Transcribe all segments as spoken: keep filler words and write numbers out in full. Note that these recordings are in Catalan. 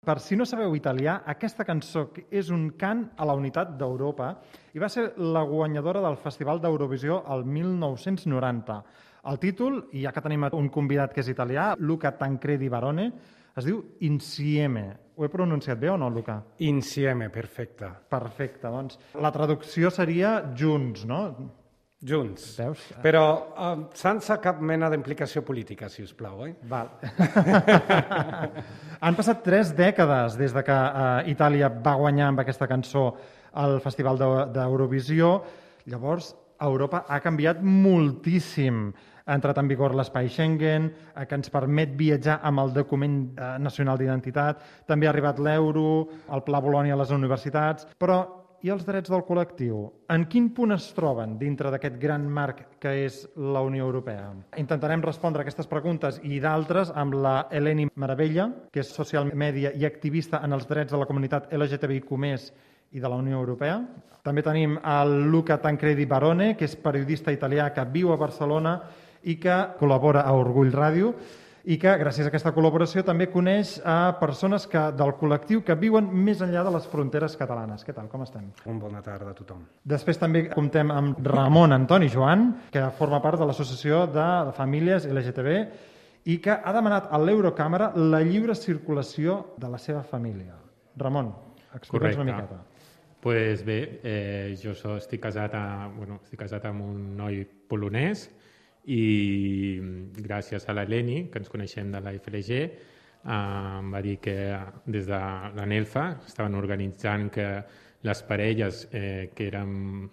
Per si no sabeu italià, aquesta cançó és un cant a la unitat d'Europa i va ser la guanyadora del Festival d'Eurovisió el mil nou-cents noranta. El títol, i ja que tenim un convidat que és italià, Luca Tancredi Barone, es diu Insieme. Ho he pronunciat bé o no, Luca? Insieme, perfecte. Perfecte, doncs la traducció seria junts, no? Junts. Veus? Però uh, sense cap mena d'implicació política, si us plau, eh? Val. Han passat tres dècades des de que uh, Itàlia va guanyar amb aquesta cançó al Festival d'Eurovisió. Llavors, Europa ha canviat moltíssim. Ha entrat en vigor l'espai Schengen, eh, que ens permet viatjar amb el document eh, nacional d'identitat. També ha arribat l'euro, el Pla Bologna a les universitats. Però i els drets del col·lectiu? En quin punt es troben dintre d'aquest gran marc que és la Unió Europea? Intentarem respondre aquestes preguntes i d'altres amb la Eleni Maravella, que és social media i activista en els drets de la comunitat L G T B I Q més i de la Unió Europea. També tenim el Luca Tancredi Barone, que és periodista italià que viu a Barcelona i que col·labora a Orgull Ràdio, i que, gràcies a aquesta col·laboració, també coneix a persones que, del col·lectiu que viuen més enllà de les fronteres catalanes. Què tal, com estem? Una bona tarda a tothom. Després també comptem amb Ramon Antoni Joan, que forma part de l'Associació de Famílies L G T B i que ha demanat a l'Eurocàmera la lliure circulació de la seva família. Ramon, explica'ns una miqueta. Pues bé, eh, jo so, estic, casat a, bueno, estic casat amb un noi polonès i gràcies a l'Eleni, que ens coneixem de la F L G, eh, em va dir que des de la NELFA estaven organitzant que les parelles eh, que, eren,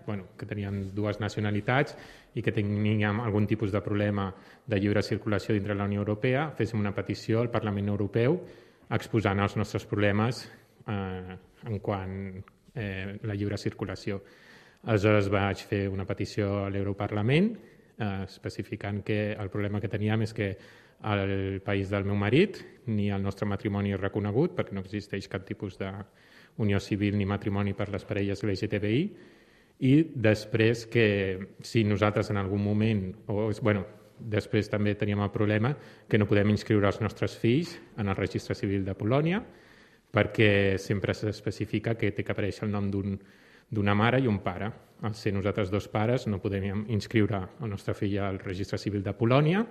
bueno, que tenien dues nacionalitats i que teníem algun tipus de problema de lliure circulació dintre la Unió Europea, féssim una petició al Parlament Europeu exposant els nostres problemes eh, en quant eh, la lliure circulació. Aleshores vaig fer una petició a l'Europarlament eh, especificant que el problema que teníem és que el país del meu marit ni el nostre matrimoni és reconegut perquè no existeix cap tipus d'unió civil ni matrimoni per les parelles L G T B I i després que si nosaltres en algun moment, o bueno, després també teníem el problema que no podem inscriure els nostres fills en el registre civil de Polònia perquè sempre s'especifica que té que aparèixer el nom d'un, d'una mare i un pare. Al ser nosaltres dos pares no podem inscriure el nostre fill al registre civil de Polònia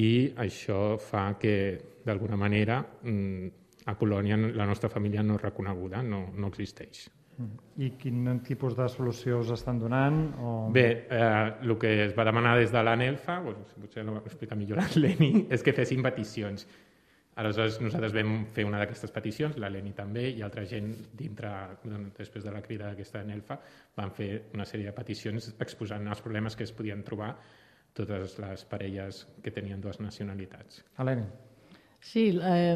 i això fa que, d'alguna manera, a Polònia la nostra família no és reconeguda, no, no existeix. I quin tipus de solució us estan donant? O... Bé, eh, el que es va demanar des de la NELFA, bueno, potser no ho explica millor l'Eleni, és que fessin peticions. Aleshores, nosaltres vam fer una d'aquestes peticions, l'Eleni també, i altra gent dintre, després de la crida d'aquesta NELFA, van fer una sèrie de peticions exposant els problemes que es podien trobar totes les parelles que tenien dues nacionalitats. Eleni. Sí, eh,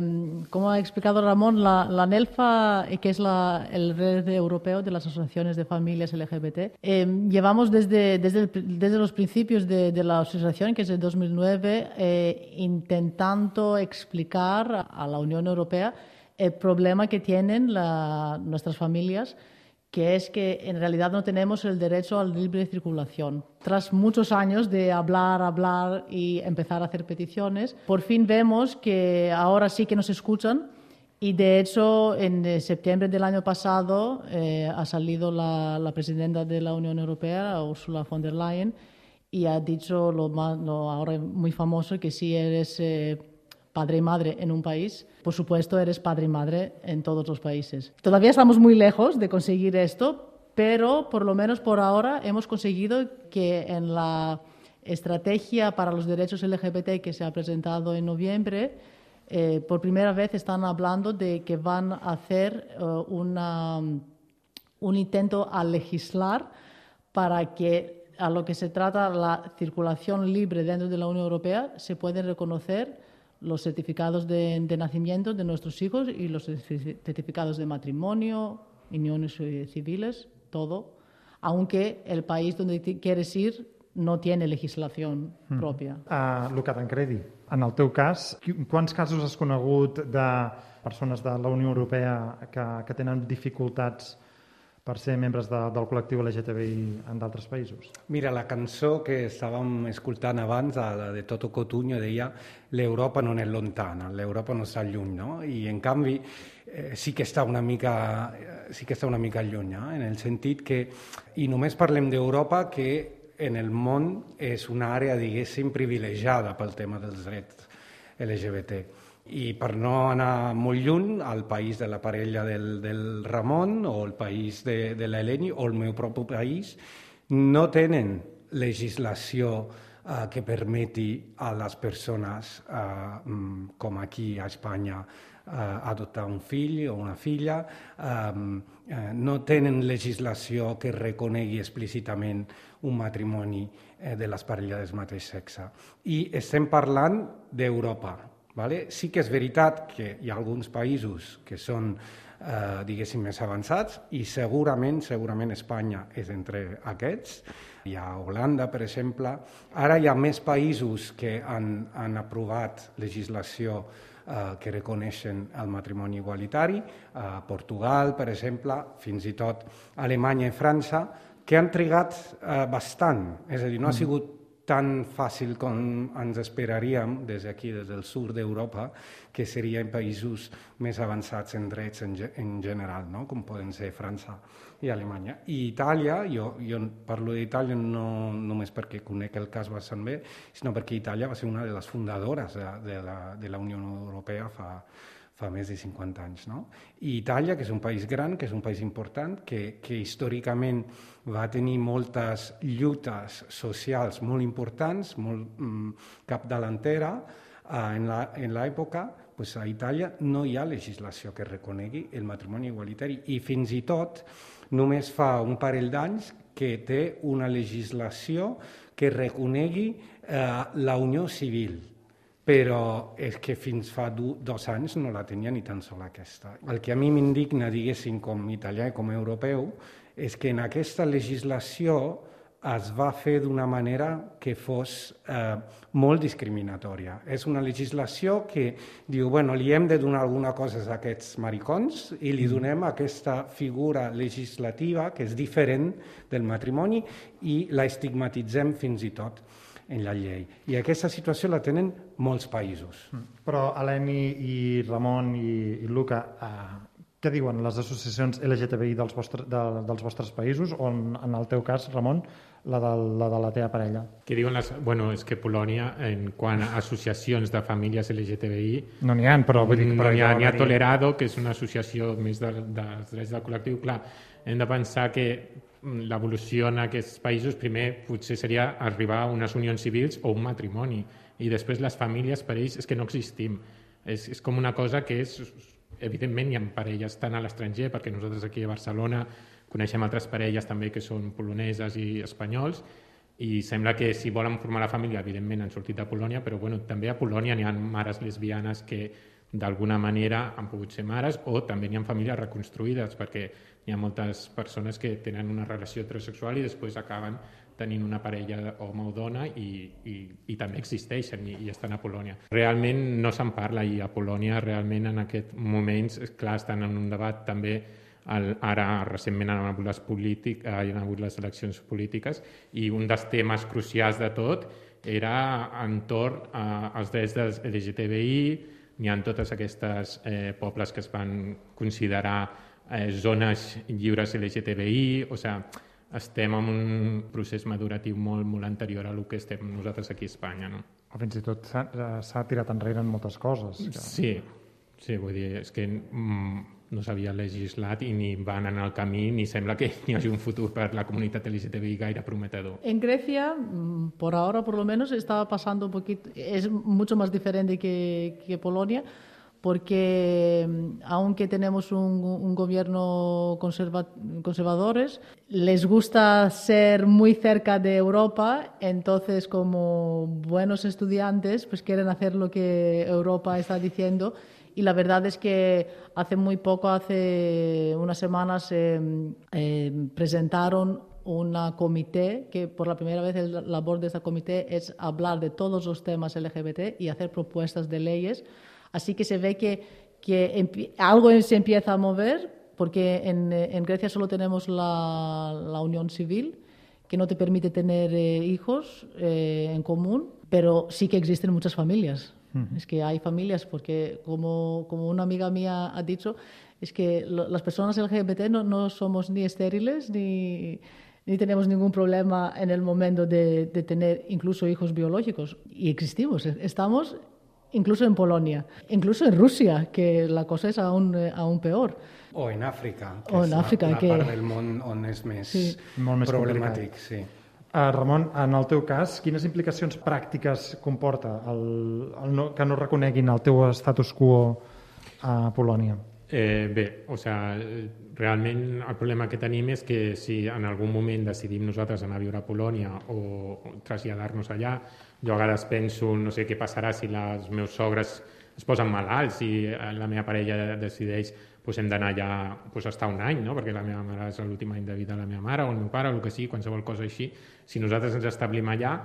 como ha explicado Ramón, la, la NELFA, que es la, el red europeo de las asociaciones de familias L G B T, eh, llevamos desde, desde, el, desde los principios de, de la asociación, que es de dos mil nueve, eh, intentando explicar a la Unión Europea el problema que tienen la, nuestras familias, que es que en realidad no tenemos el derecho a la libre circulación. Tras muchos años de hablar, hablar y empezar a hacer peticiones, por fin vemos que ahora sí que nos escuchan y de hecho en septiembre del año pasado eh, ha salido la, la presidenta de la Unión Europea, Ursula von der Leyen, y ha dicho lo, más, lo ahora muy famoso que si eres eh, padre y madre en un país, por supuesto eres padre y madre en todos los países. Todavía estamos muy lejos de conseguir esto, pero por lo menos por ahora hemos conseguido que en la estrategia para los derechos L G B T que se ha presentado en noviembre, eh, por primera vez están hablando de que van a hacer uh, una, un intento a legislar para que a lo que se trata la circulación libre dentro de la Unión Europea se pueden reconocer los certificados de, de nacimiento de nuestros hijos y los certificados de matrimonio, uniones civiles, todo, aunque el país donde quieres ir no tiene legislación mm. pròpia. Uh, Luca Tancredi, en el teu cas, quants casos has conegut de persones de la Unió Europea que, que tenen dificultats per ser membres de, del col·lectiu L G T B I en d'altres països? Mira, la cançó que estàvem escoltant abans, la de Toto Cutugno, deia l'Europa non è lontana, l'Europa no està lluny, no? I en canvi eh, sí que està una mica, sí que està una mica lluny, eh? En el sentit que, i només parlem d'Europa, que en el món és una àrea, diguéssim, privilegiada pel tema dels drets L G B T. I per no anar molt lluny, al país de la parella del, del Ramon o el país de, de l'Eleni o el meu propi país no tenen legislació eh, que permeti a les persones, eh, com aquí a Espanya, eh, adoptar un fill o una filla, eh, eh, no tenen legislació que reconegui explícitament un matrimoni eh, de les parelles del mateix sexe. I estem parlant d'Europa. Vale? Sí que és veritat que hi ha alguns països que són, eh, diguéssim, més avançats i segurament, segurament Espanya és entre aquests. Hi ha Holanda, per exemple. Ara hi ha més països que han, han aprovat legislació eh, que reconeixen el matrimoni igualitari. Eh, Portugal, per exemple, fins i tot Alemanya i França, que han trigat eh, bastant. És a dir, no ha sigut tan fàcil com ens esperaríem des d'aquí, des del sud d'Europa, que serien països més avançats en drets en, en general, no? Com poden ser França i Alemanya. I Itàlia, jo, jo parlo d'Itàlia no només perquè conec el cas bastant bé, sinó perquè Itàlia va ser una de les fundadores de, de, la, de la Unió Europea fa, fa més de cinquanta anys. No? I Itàlia, que és un país gran, que és un país important, que, que històricament va tenir moltes lluites socials molt importants, molt mm, capdavantera, eh, en l'època, pues a Itàlia no hi ha legislació que reconegui el matrimoni igualitari i fins i tot només fa un parell d'anys que té una legislació que reconegui eh, la unió civil. Però és que fins fa du, dos anys no la tenia ni tan sola aquesta. El que a mi m'indigna, diguéssim, com italià i com europeu, és que en aquesta legislació es va fer d'una manera que fos eh, molt discriminatòria. És una legislació que diu, bueno, li hem de donar alguna cosa a aquests maricons i li donem aquesta figura legislativa que és diferent del matrimoni i la estigmatitzem fins i tot en la llei. I aquesta situació la tenen molts països. Però Eleni i Ramon i, i Luca, eh, què diuen les associacions L G T B I dels vostres, de, dels vostres països, o en, en el teu cas, Ramon, la de la, de la teva parella? Què diuen les... Bueno, és que Polònia, en quant a associacions de famílies L G T B I... No n'hi ha, però vull dir que... No n'hi ha, n'hi ha Tolerado, que és una associació més de, dels drets del col·lectiu. Clar, hem de pensar que l'evolució en aquests països primer potser seria arribar a unes unions civils o un matrimoni i després les famílies per ells és que no existim. És, és com una cosa que és... Evidentment hi ha parelles tant a l'estranger, perquè nosaltres aquí a Barcelona coneixem altres parelles també que són poloneses i espanyols i sembla que si volen formar la família evidentment han sortit de Polònia, però bueno, també a Polònia n'hi ha mares lesbianes que d'alguna manera han pogut ser mares o també n'hi ha famílies reconstruïdes perquè hi ha moltes persones que tenen una relació heterosexual i després acaben tenint una parella home o dona i, i, i també existeixen i, i estan a Polònia. Realment no se'n parla i a Polònia realment en aquests moments, clar, estan en un debat també, el, ara recentment han hagut, les polític, han hagut les eleccions polítiques i un dels temes crucials de tot era entorn als drets dels L G T B I, n'hi ha totes aquestes eh, pobles que es van considerar eh, zones lliures L G T B I, o sigui, estem en un procés maduratiu molt, molt anterior a el que estem nosaltres aquí a Espanya. No? O fins i tot s'ha tirat enrere en moltes coses. Que... Sí, sí, vull dir, és que mm, no s'havia legislat i ni van anar al camí, ni sembla que hi hagi un futur per la comunitat L G T B I gaire prometedor. En Grecia, por ahora por lo menos, estaba pasando un poquito, es mucho más diferente que, que Polonia, porque aunque tenemos un, un gobierno conserva, conservadores, les gusta ser muy cerca de Europa, entonces como buenos estudiantes pues quieren hacer lo que Europa está diciendo y la verdad es que hace muy poco, hace unas semanas, eh, eh, presentaron una comité que por la primera vez la labor de esta comité es hablar de todos los temas L G B T y hacer propuestas de leyes. Así que se ve que, que algo se empieza a mover, porque en, en Grecia solo tenemos la, la unión civil, que no te permite tener eh, hijos eh, en común, pero sí que existen muchas familias. Uh-huh. Es que hay familias, porque como, como una amiga mía ha dicho, es que lo, las personas L G B T no, no somos ni estériles ni, ni tenemos ningún problema en el momento de, de tener incluso hijos biológicos. Y existimos, estamos incluso en Polonia, incluso en Rusia, que la cosa és aún, aún peor. O en Àfrica, que o és en Àfrica, la, la que... part del món on és més, sí. Molt més problemàtic. Sí. Uh, Ramon, en el teu cas, quines implicacions pràctiques comporta el, el no, que no reconeguin el teu status quo a Polònia? Eh, bé, o sigui, realment el problema que tenim és que si en algun moment decidim nosaltres anar a viure a Polònia o traslladar-nos allà, jo a vegades penso, no sé què passarà si els meus sogres es posen malalts i la meva parella decideix pues hem d'anar allà pues, a estar un any, no? Perquè la meva mare és l'últim any de vida de la meva mare o el meu pare o el que sigui, qualsevol cosa així. Si nosaltres ens establim allà,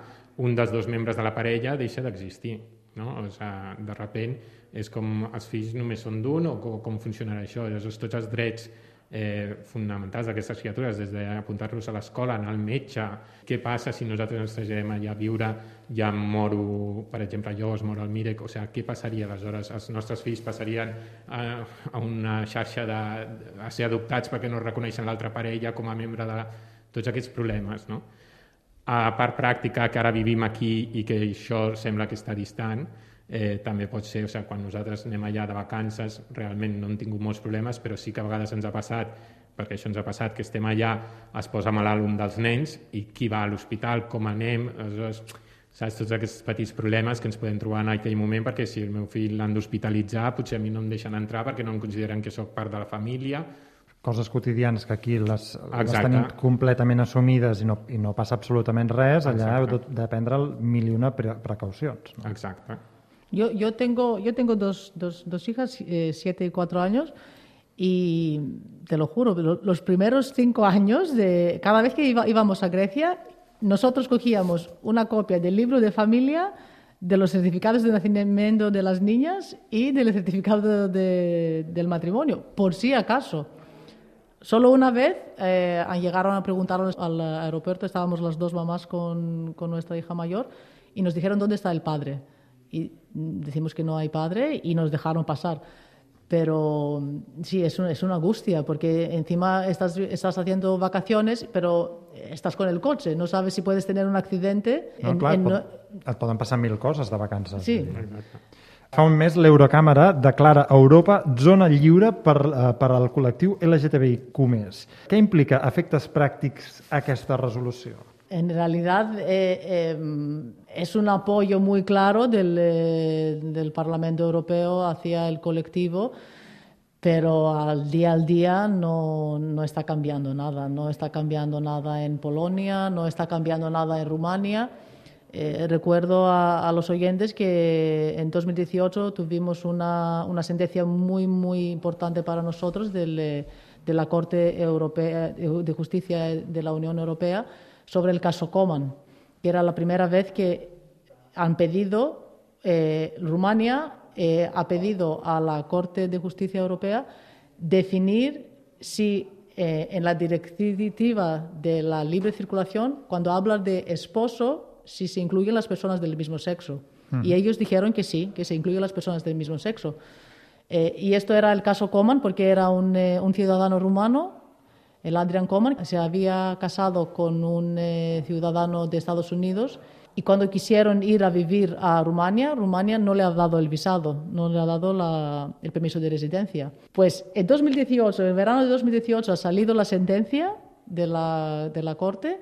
un dels dos membres de la parella deixa d'existir. No? O sigui, de repent és com els fills només són d'un o com, com funcionarà això. Llavors, tots els drets eh, fonamentals d'aquestes criatures, des d'apuntar-los a l'escola, anar al metge, què passa si nosaltres ens traslladem allà a viure, ja moro, per exemple, jo es moro al Mirek, o sigui, què passaria aleshores? Els nostres fills passarien a, a una xarxa de, a ser adoptats perquè no reconeixen l'altra parella com a membre de tots aquests problemes, no? A part pràctica, que ara vivim aquí i que això sembla que està distant, eh, també pot ser, o sigui, quan nosaltres anem allà de vacances, realment no hem tingut molts problemes, però sí que a vegades ens ha passat, perquè això ens ha passat, que estem allà, es posa malalt un dels nens i qui va a l'hospital, com anem, aleshores, saps, tots aquests petits problemes que ens podem trobar en aquell moment, perquè si el meu fill l'han d'hospitalitzar, potser a mi no em deixen entrar perquè no em consideren que sóc part de la família. Coses quotidianes que aquí les, les tenim completament assumides i no, i no passa absolutament res, allà heu de, de prendre mil i una pre precaucions. ¿No? Exacte. Yo, yo tengo, yo tengo dos, dos, dos hijas, eh, siete y cuatro años, y te lo juro, los primeros cinco años, de cada vez que iba, íbamos a Grecia, nosotros cogíamos una copia del libro de familia, de los certificados de nacimiento de las niñas y del certificado de, del matrimonio, por si acaso. Solo una vez eh, llegaron a preguntarnos al aeropuerto, estábamos las dos mamás con, con nuestra hija mayor, y nos dijeron dónde está el padre. Y decimos que no hay padre y nos dejaron pasar. Pero sí, es, un, es una angustia, porque encima estás, estás haciendo vacaciones, pero estás con el coche, no sabes si puedes tener un accidente. No, en, clar, en, et, pot, et poden passar mil coses de vacances. Sí. Fa un mes l'Eurocàmera declara Europa zona lliure per, uh, per al col·lectiu L G T B I Q més. Què implica efectes pràctics aquesta resolució? En realidad eh, eh, es un apoyo muy claro del, eh, del Parlamento Europeo hacia el colectivo, pero al día al día no, no está cambiando nada. No está cambiando nada en Polonia, no está cambiando nada en Rumania. Eh, recuerdo a, a los oyentes que en dos mil dieciocho tuvimos una, una sentencia muy, muy importante para nosotros del, de la Corte Europea, de Justicia de la Unión Europea sobre el caso Coman, que era la primera vez que han pedido, eh, Rumania eh, ha pedido a la Corte de Justicia Europea definir si eh, en la directiva de la libre circulación, cuando habla de esposo, si se incluyen las personas del mismo sexo. Uh-huh. Y ellos dijeron que sí, que se incluyen las personas del mismo sexo. Eh, y esto era el caso Coman, porque era un, eh, un ciudadano rumano, el Adrian Coman, se había casado con un eh, ciudadano de Estados Unidos, y cuando quisieron ir a vivir a Rumania, Rumania no le ha dado el visado, no le ha dado la, el permiso de residencia. Pues en dos mil dieciocho, en verano de dos mil dieciocho, ha salido la sentencia de la, de la Corte,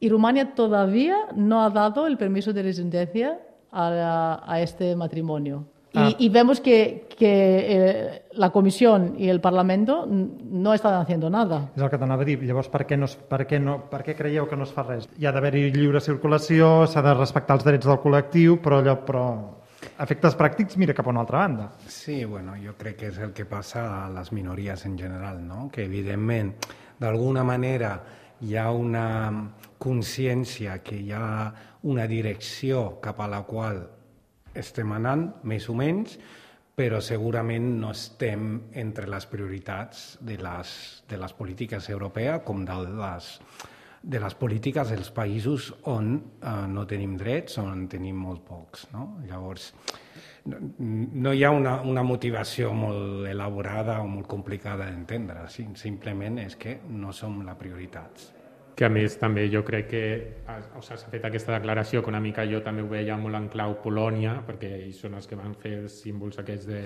y Rumania todavía no ha dado el permiso de residencia a, a este matrimonio. Ah. Y, y vemos que, que eh, la Comisión y el Parlamento no están haciendo nada. És el que t'anava a dir. Llavors, per què, no, per, què no, per què creieu que no es fa res? Hi ha d'haver-hi lliure circulació, s'ha de respectar els drets del col·lectiu, però allò, però efectes pràctics mira cap a una altra banda. Sí, bueno, jo crec que és el que passa a les minories en general, no? Que evidentment, d'alguna manera, hi ha una consciència que hi ha una direcció cap a la qual estem anant, més o menys, però segurament no estem entre les prioritats de les, de les polítiques europees com de les, de les polítiques dels països on eh, no tenim drets, on tenim molt pocs. No? Llavors, no, no hi ha una, una motivació molt elaborada o molt complicada d'entendre, simplement és que no som la prioritat. Que a més també jo crec que o sigui, s'ha fet aquesta declaració que una mica jo també ho veia molt en clau Polònia, perquè ells són els que van fer els símbols aquests de,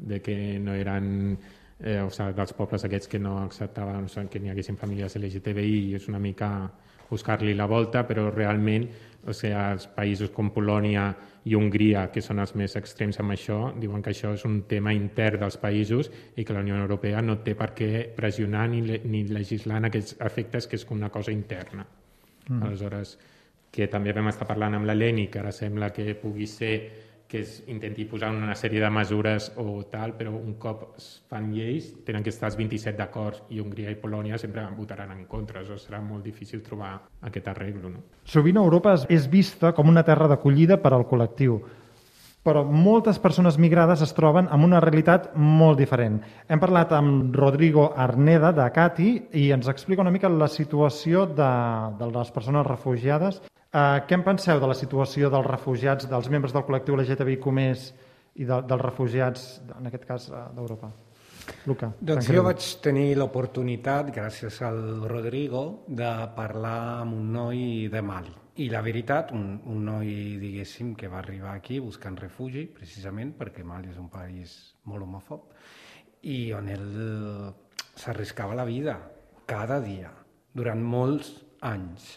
de que no eren eh, o sigui, dels pobles aquests que no acceptaven o sigui, que n'hi haguessin famílies L G T B I, i és una mica buscar-li la volta, però realment o sigui, els països com Polònia i Hongria, que són els més extrems amb això, diuen que això és un tema intern dels països i que la Unió Europea no té per què pressionar ni, ni legislar en aquests efectes, que és una cosa interna. Mm. Aleshores, que també vam estar parlant amb l'Eleni, que ara sembla que pugui ser que es intenti posar una sèrie de mesures o tal, però un cop es fan lleis tenen que estar els vint-i-set d'acord i Hongria i Polònia sempre votaran en contra, això serà molt difícil trobar aquest arreglo. No? Sovint Europa és vista com una terra d'acollida per al col·lectiu, però moltes persones migrades es troben amb una realitat molt diferent. Hem parlat amb Rodrigo Arneda de Cati i ens explica una mica la situació de, de les persones refugiades. Uh, què en penseu de la situació dels refugiats, dels membres del col·lectiu L G T B I Q més i de, dels refugiats, en aquest cas, d'Europa? Luca. Doncs jo vaig tenir l'oportunitat, gràcies al Rodrigo, de parlar amb un noi de Mali. I la veritat, un, un noi, diguéssim, que va arribar aquí buscant refugi, precisament perquè Mali és un país molt homòfob, i on ell s'arriscava la vida cada dia, durant molts anys.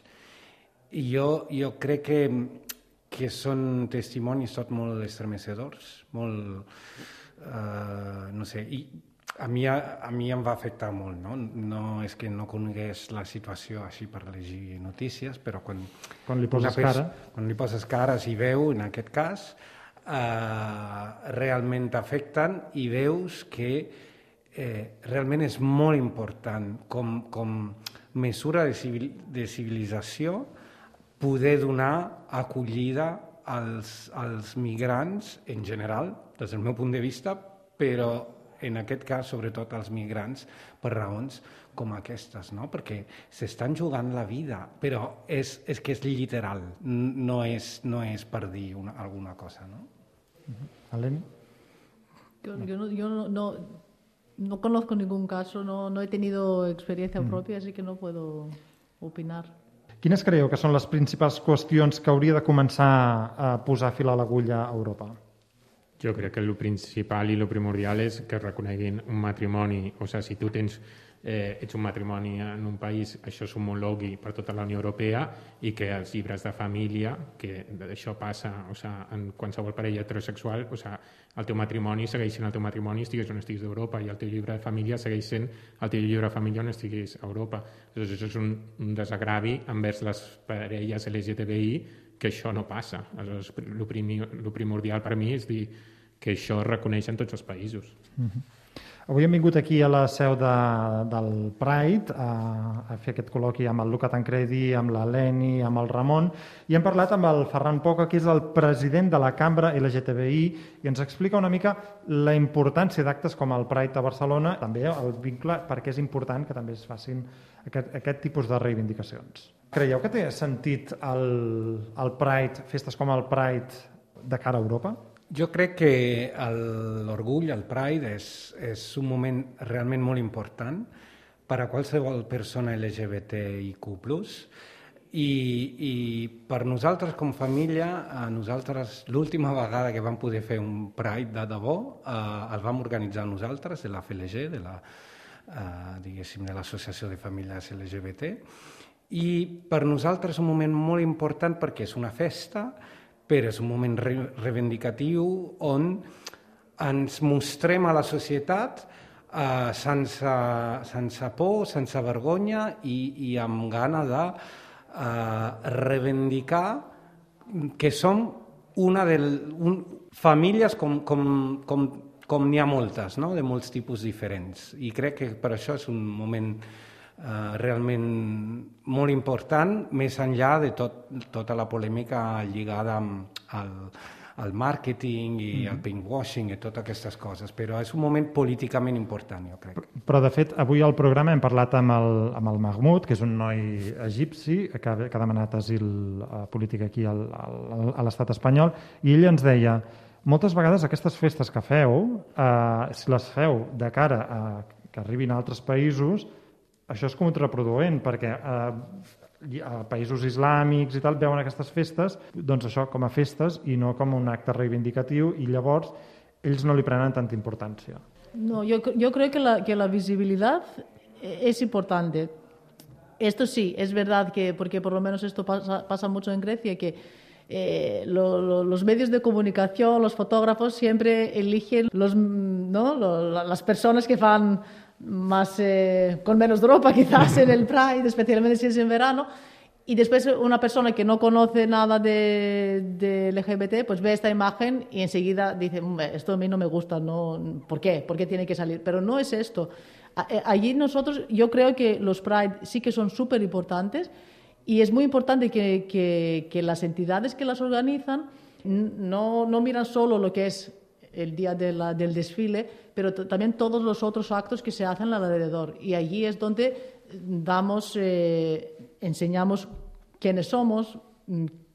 I jo, jo crec que, que són testimonis tot molt estremecedors, molt, uh, no sé, i a mi, a, a mi em va afectar molt, no? No és que no conegués la situació així per llegir notícies, però quan, quan li poses cara, quan li poses cara i veu, en aquest cas, uh, realment t'afecten i veus que eh, realment és molt important com, com mesura de, civil, de civilització poder donar acollida als, als migrants en general, des del meu punt de vista, però en aquest cas, sobretot, als migrants per raons com aquestes, no? Perquè s'estan jugant la vida, però és, és que és literal, no és, no és per dir una, alguna cosa, no? Uh-huh. Eleni? Yo, yo, no, yo no, no, no conozco ningún caso, no, no he tenido experiencia uh-huh. propia, así que no puedo opinar. Quines creieu que són les principals qüestions que hauria de començar a posar fil a l'agulla a Europa? Jo crec que el principal i el primordial és que reconeguin un matrimoni. O sigui, si tu tens, eh, ets un matrimoni en un país, això s'homologui per tota la Unió Europea i que els llibres de família, que això passa o sigui, en qualsevol parella heterosexual, o sigui, el teu matrimoni segueix sent el teu matrimoni estiguis on estiguis d'Europa i el teu llibre de família segueix sent el teu llibre de família on estiguis a Europa. Llavors, això és un, un desagravi envers les parelles L G T B I que això no passa. Aleshores, el primi, primordial per mi és dir que això es reconeix en tots els països. Uh-huh. Avui hem vingut aquí a la seu de, del Pride a, a fer aquest col·loqui amb el Luca Tancredi, amb l'Eleni, amb el Ramon, i hem parlat amb el Ferran Poca, que és el president de la Cambra L G T B I, i ens explica una mica la importància d'actes com el Pride a Barcelona, també el vincle, perquè és important que també es facin aquest, aquest tipus de reivindicacions. Creieu que té sentit el, el Pride, festes com el Pride, de cara a Europa? Jo crec que l'orgull, el Pride, és, és un moment realment molt important per a qualsevol persona L G B T I Q plus, i, i per nosaltres com família, a nosaltres l'última vegada que vam poder fer un Pride de debò, eh, el vam organitzar nosaltres, de la F L G, de la, eh, diguéssim, de l'Associació de Famílies L G B T, i per nosaltres és un moment molt important perquè és una festa, però és un moment re reivindicatiu on ens mostrem a la societat eh, sense, sense por, sense vergonya i, i amb gana de eh, reivindicar que som una de un, famílies com, com, com, com n'hi ha moltes, no? De molts tipus diferents. I crec que per això és un moment Uh, realment molt important, més enllà de tot, tota la polèmica lligada amb el, al màrqueting i mm. al pinkwashing i totes aquestes coses, però és un moment políticament important, jo crec. Però, de fet, avui al programa hem parlat amb el, amb el Mahmoud, que és un noi egipci que, que ha demanat asil uh, polític aquí al, al, a l'estat espanyol, i ell ens deia, moltes vegades aquestes festes que feu, uh, si les feu de cara a que arribin a altres països, això és contraproduent, perquè uh, a països islàmics i tal veuen aquestes festes, doncs això com a festes i no com un acte reivindicatiu, i llavors ells no li prenen tanta importància. No, yo, yo creo que la, que la visibilidad es importante. Esto sí, es verdad que, porque por lo menos esto pasa, pasa mucho en Grecia, que eh, lo, lo, los medios de comunicación, los fotógrafos siempre eligen los, ¿no? Lo, las personas que van más eh, con menos ropa quizás en el Pride, especialmente si es en verano, y después una persona que no conoce nada de, de L G B T pues ve esta imagen y enseguida dice, esto a mí no me gusta, ¿no? ¿Por qué? ¿Por qué tiene que salir? Pero no es esto. Allí nosotros, yo creo que los Pride sí que son súper importantes, y es muy importante que, que, que las entidades que las organizan no, no miran solo lo que es el día de la, del desfile, pero también todos los otros actos que se hacen alrededor. Y allí es donde damos, eh, enseñamos quiénes somos,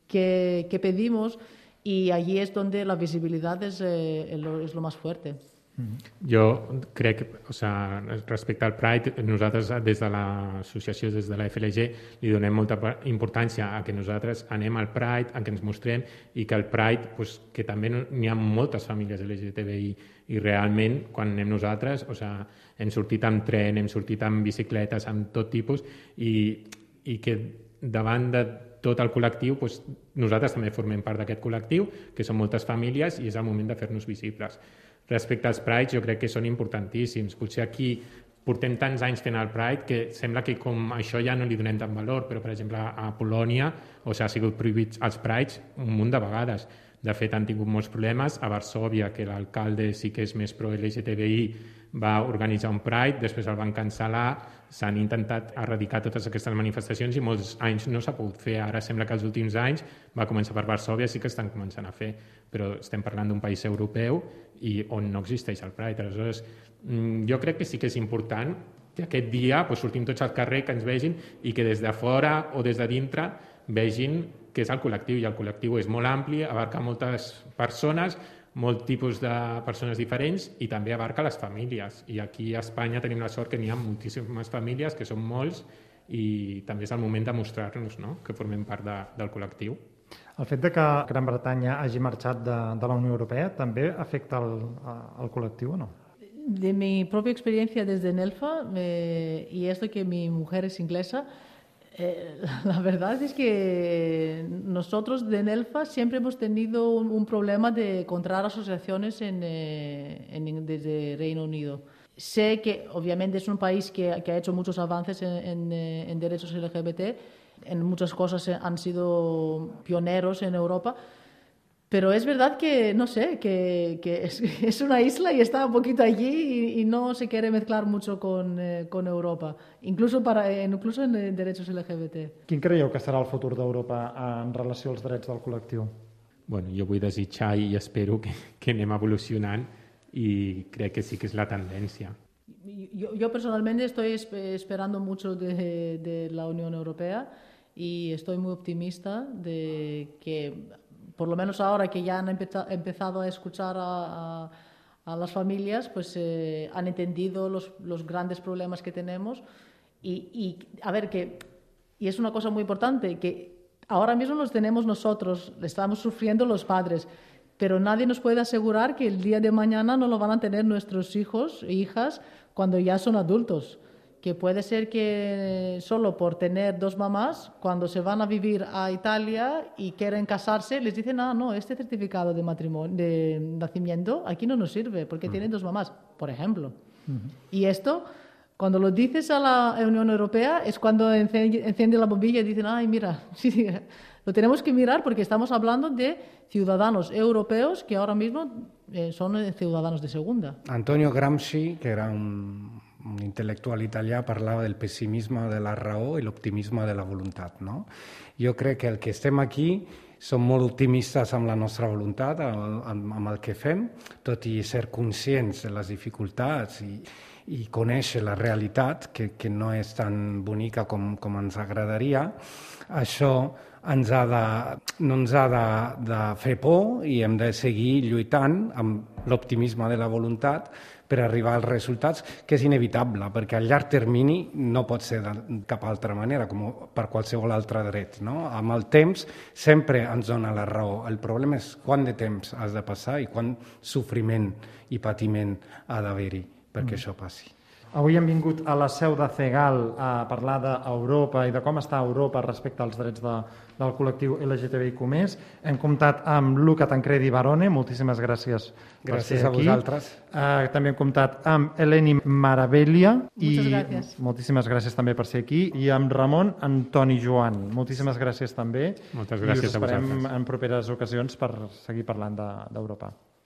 qué, qué pedimos, y allí es donde la visibilidad es, eh, lo, es lo más fuerte. Jo crec, o sea, respecte al Pride, nosaltres des de l'associació, des de la F L G, li donem molta importància a que nosaltres anem al Pride, a que ens mostrem, i que el Pride, pues, que també n'hi ha moltes famílies L G T B I, i realment, quan anem nosaltres, o sea, hem sortit amb tren, hem sortit amb bicicletes, amb tot tipus, i, i que davant de tot el col·lectiu, pues, nosaltres també formem part d'aquest col·lectiu, que són moltes famílies, i és el moment de fer-nos visibles. Respecte als Prides, jo crec que són importantíssims. Potser aquí portem tants anys fent el Pride que sembla que com això ja no li donem tant valor, però, per exemple, a Polònia o s'ha sigut prohibits els Prides un munt de vegades. De fet, han tingut molts problemes. A Varsòvia, que l'alcalde sí que és més pro-L G T B I, va organitzar un Pride, després el van cancel·lar, s'han intentat erradicar totes aquestes manifestacions i molts anys no s'ha pogut fer. Ara sembla que els últims anys va començar per Varsòvia, sí que estan començant a fer, però estem parlant d'un país europeu i on no existeix el Pride. Aleshores, jo crec que sí que és important que aquest dia pues, sortim tots al carrer, que ens vegin i que des de fora o des de dintre vegin què és el col·lectiu, i el col·lectiu és molt ampli, abarca moltes persones, molt tipus de persones diferents, i també abarca les famílies. I aquí a Espanya tenim la sort que n'hi ha moltíssimes famílies, que són molts, i també és el moment de mostrar-nos, no?, que formem part de, del col·lectiu. El fet de que Gran Bretanya hagi marxat de, de la Unió Europea també afecta el, el col·lectiu o no? De mi propia experiencia desde Nelfa, eh, y esto que mi mujer es inglesa, Eh, la verdad es que nosotros de Nelfa siempre hemos tenido un, un problema de encontrar asociaciones en, eh, en, desde Reino Unido. Sé que obviamente es un país que, que ha hecho muchos avances en, en, en derechos L G B T, en muchas cosas han sido pioneros en Europa, pero es verdad que, no sé, que, que es, es una isla y está un poquito allí y, y no se quiere mezclar mucho con, eh, con Europa, incluso, para, incluso en derechos L G B T. Quin creieu que serà el futur d'Europa en relació als drets del col·lectiu? Bueno, jo vull desitjar i espero que, que anem evolucionant, i crec que sí que és la tendència. Yo, yo personalmente estoy esperando mucho de, de la Unión Europea y estoy muy optimista de que, por lo menos ahora que ya han empezado a escuchar a, a, a las familias, pues eh, han entendido los, los grandes problemas que tenemos y, y, a ver, que, y es una cosa muy importante, que ahora mismo los tenemos nosotros, estamos sufriendo los padres, pero nadie nos puede asegurar que el día de mañana no lo van a tener nuestros hijos e hijas cuando ya son adultos. Que puede ser que solo por tener dos mamás, cuando se van a vivir a Italia y quieren casarse, les dicen, ah, no, este certificado de matrimonio, de nacimiento, aquí no nos sirve, porque uh-huh. tienen dos mamás, por ejemplo. Uh-huh. Y esto, cuando lo dices a la Unión Europea, es cuando enciende la bombilla y dicen, ay, mira, sí, lo tenemos que mirar porque estamos hablando de ciudadanos europeos que ahora mismo eh, son ciudadanos de segunda. Antonio Gramsci, que era un... un intel·lectual italià, parlava del pessimisme de la raó i l'optimisme de la voluntat, no? Jo crec que el que estem aquí som molt optimistes amb la nostra voluntat, amb, amb el que fem, tot i ser conscients de les dificultats i, i conèixer la realitat, que, que no és tan bonica com, com ens agradaria. Això ens ha de, no ens ha de, de fer por i hem de seguir lluitant amb l'optimisme de la voluntat per arribar als resultats, que és inevitable, perquè a llarg termini no pot ser de cap altra manera, com per qualsevol altre dret. No? Amb el temps sempre ens dona la raó. El problema és quant de temps has de passar i quant sofriment i patiment ha d'haver-hi perquè mm. això passi. Avui hem vingut a la seu de CEGAL a parlar d'Europa i de com està Europa respecte als drets de, del col·lectiu L G T B I Q més. Hem comptat amb Luca Tancredi Barone, moltíssimes gràcies, gràcies per ser a aquí. Vosaltres. Uh, també hem comptat amb Eleni Maravella i gràcies. moltíssimes gràcies també per ser aquí, i amb Ramon Antoni Joan. Moltíssimes gràcies també. Moltes gràcies i us a vosaltres. esperem en properes ocasions per seguir parlant d'Europa. De,